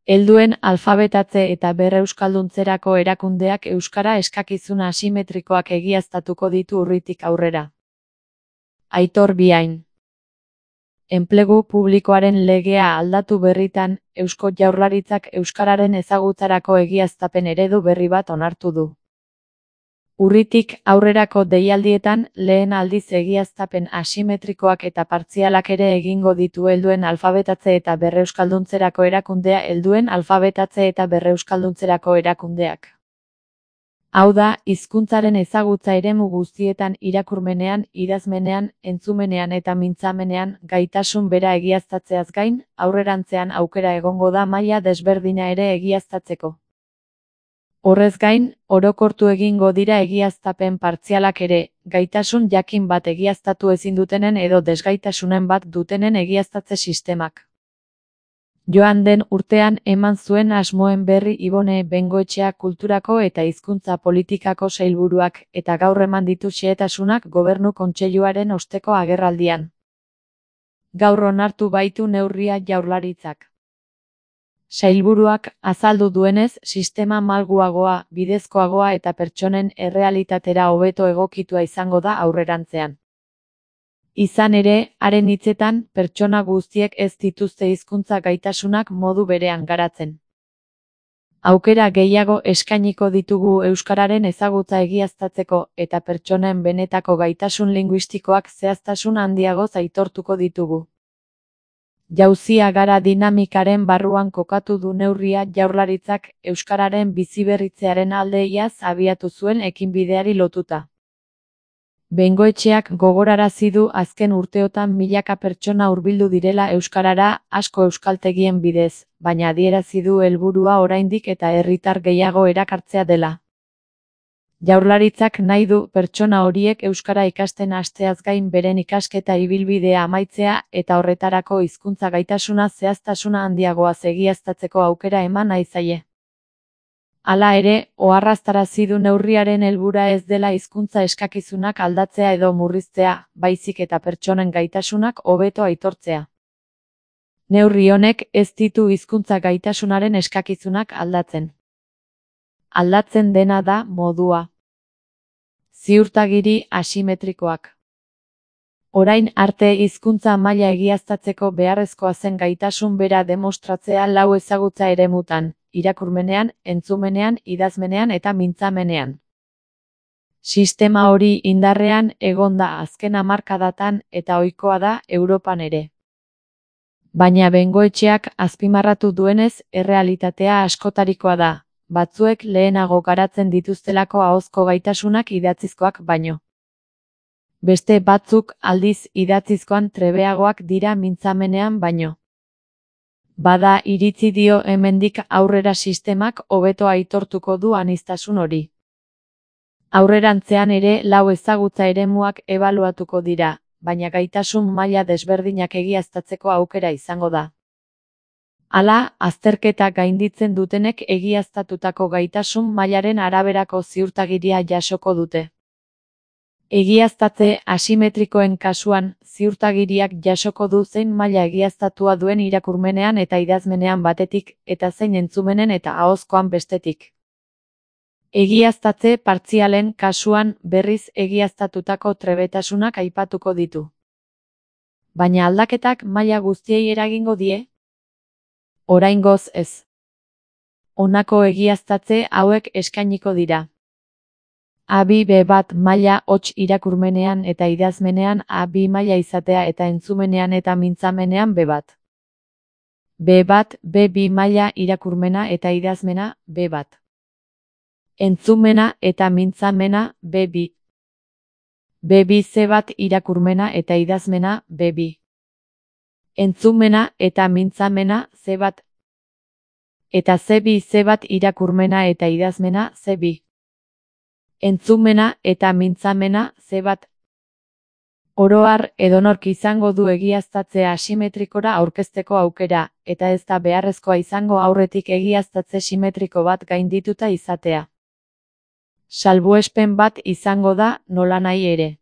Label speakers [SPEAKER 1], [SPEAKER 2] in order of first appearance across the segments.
[SPEAKER 1] Helduen alfabetatze eta berreuskalduntzerako erakundeak euskara eskakizun asimetrikoak egiaztatuko ditu urritik aurrera. Aitor Biain. Enplegu publikoaren legea aldatu berritan, Eusko Jaurlaritzak euskararen ezagutzarako egiaztapen eredu berri bat onartu du. Urritik aurrerako deialdietan, lehen aldiz egiaztapen asimetrikoak eta partzialak ere egingo ditu helduen alfabetatze eta berreuskalduntzerako erakundea helduen alfabetatze eta berreuskalduntzerako erakundeak. Hau da, hizkuntzaren ezagutza eremu guztietan irakurmenean, idazmenean, entzumenean eta mintzamenean gaitasun bera egiaztatzeaz gain, aurrerantzean aukera egongo da maila desberdina ere egiaztatzeko. Horrez gain, orokortu egingo dira egiaztapen partzialak ere, gaitasun jakin bat egiaztatu ezin dutenen edo desgaitasunen bat dutenen egiaztatze sistemak. Joan den urtean eman zuen asmoen berri Ibone Bengoetxea Kulturako eta Hizkuntza Politikako sailburuak eta gaur eman ditu xehetasunak Gobernu Kontseiluaren osteko agerraldian. Gaur onartu baitu neurria Jaurlaritzak. Sailburuak azaldu duenez, sistema malguagoa, bidezkoagoa eta pertsonen errealitatera hobeto egokitua izango da aurrerantzean. Izan ere, haren hitzetan, pertsona guztiek ez dituzte hizkuntza gaitasunak modu berean garatzen. Aukera gehiago eskainiko ditugu euskararen ezagutza egiaztatzeko eta pertsonen benetako gaitasun linguistikoak zehaztasun handiagoz aitortuko ditugu. Jauzia gara dinamikaren barruan kokatu du neurria Jaurlaritzak euskararen biziberritzearen alde iaz abiatu zuen ekinbideari lotuta. Bengoetxeak gogorarazi du azken urteotan milaka pertsona hurbildu direla euskarara asko euskaltegien bidez, baina adierazi du helburua oraindik eta herritar gehiago erakartzea dela. Jaurlaritzak nahi du pertsona horiek euskara ikasten hasteaz gain beren ikasketa ibilbidea amaitzea eta horretarako hizkuntza gaitasuna zehaztasuna handiagoaz egiaztatzeko aukera eman nahi zaie. Hala ere, oharraztarazi du neurriaren helburua ez dela hizkuntza eskakizunak aldatzea edo murriztea, baizik eta pertsonen gaitasunak hobeto aitortzea. Neurri honek ez ditu hizkuntza gaitasunaren eskakizunak aldatzen. Aldatzen dena da modua. Ziurtagiri asimetrikoak. Orain arte hizkuntza maila egiaztatzeko beharrezkoa zen gaitasun bera demostratzea lau ezagutza eremutan, irakurmenean, entzumenean, idazmenean eta mintzamenean. Sistema hori indarrean egon da azken hamarkadatan eta ohikoa da Europan ere. Baina Bengoetxeak azpimarratu duenez, errealitatea askotarikoa da. Batzuek lehenago garatzen dituztelako ahozko gaitasunak idatzizkoak baino. Beste batzuk aldiz idatzizkoan trebeagoak dira mintzamenean baino. Bada iritzi dio hemendik aurrera sistemak hobeto aitortuko du aniztasun hori. Aurrerantzean ere lau ezagutza eremuak ebaluatuko dira, baina gaitasun maila desberdinak egiaztatzeko aukera izango da. Hala, azterketa gainditzen dutenek egiaztatutako gaitasun mailaren araberako ziurtagiria jasoko dute. Egiaztatze asimetrikoen kasuan, ziurtagiriak jasoko du zein maila egiaztatua duen irakurmenean eta idazmenean batetik, eta zein entzumenen eta ahozkoan bestetik. Egiaztatze partzialen kasuan berriz egiaztatutako trebetasunak aipatuko ditu. Baina aldaketak maila guztiei eragingo die? Oraingoz ez. Honako egiaztatze hauek eskainiko dira. A2-B1 maila hots irakurmenean eta idazmenean A2 maila izatea eta entzumenean eta mintzamenean B1. B1, B2 maila irakurmena eta idazmena B1. Entzumena eta mintzamena B2. B2 C1 irakurmena eta idazmena B2. Entzumena eta mintzamena C1. Eta C2 C1 irakurmena eta idazmena C2. Entzumena eta mintzamena C1. Oro har, edonork izango du egiaztatzea asimetrikora aurkezteko aukera, eta ez da beharrezkoa izango aurretik egiaztatze simetriko bat gaindituta izatea. Salbuespen bat izango da, nolanahi ere.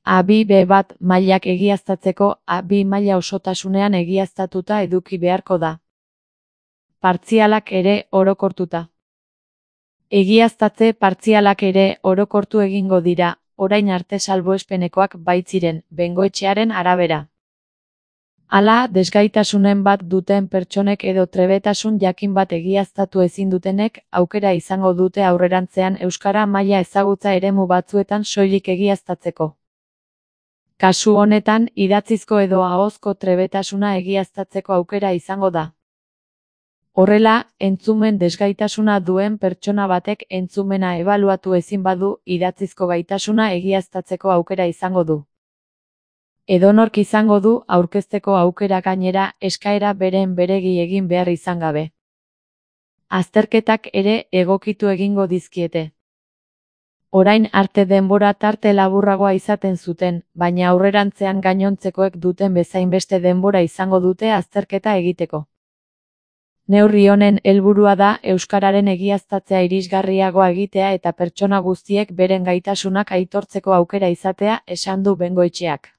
[SPEAKER 1] A2-B1 mailak egiaztatzeko A2 maila osotasunean egiaztatuta eduki beharko da. partzialak ere orokortuta. Egiaztatze partzialak ere orokortu egingo dira, orain arte salbuespenekoak baitziren, bengoetxearen arabera. Hala, desgaitasunen bat duten pertsonek edo trebetasun jakin bat egiaztatu ezin dutenek, aukera izango dute aurrerantzean euskara maila ezagutza eremu batzuetan soilik egiaztatzeko. Kasu honetan, idatzizko edo ahozko trebetasuna egiaztatzeko aukera izango da. Horrela, entzumen desgaitasuna duen pertsona batek entzumena ebaluatu ezin badu, idatzizko gaitasuna egiaztatzeko aukera izango du. Edonork izango du aurkezteko aukera gainera eskaera beren beregi egin behar izan gabe. Azterketak ere egokitu egingo dizkiete. Orain arte denbora tarte laburragoa izaten zuten, baina aurrerantzean gainontzekoek duten bezain beste denbora izango dute azterketa egiteko. Neurri honen helburua da euskararen egiaztatzea irisgarriagoa egitea eta pertsona guztiek beren gaitasunak aitortzeko aukera izatea, esan du Bengoetxeak.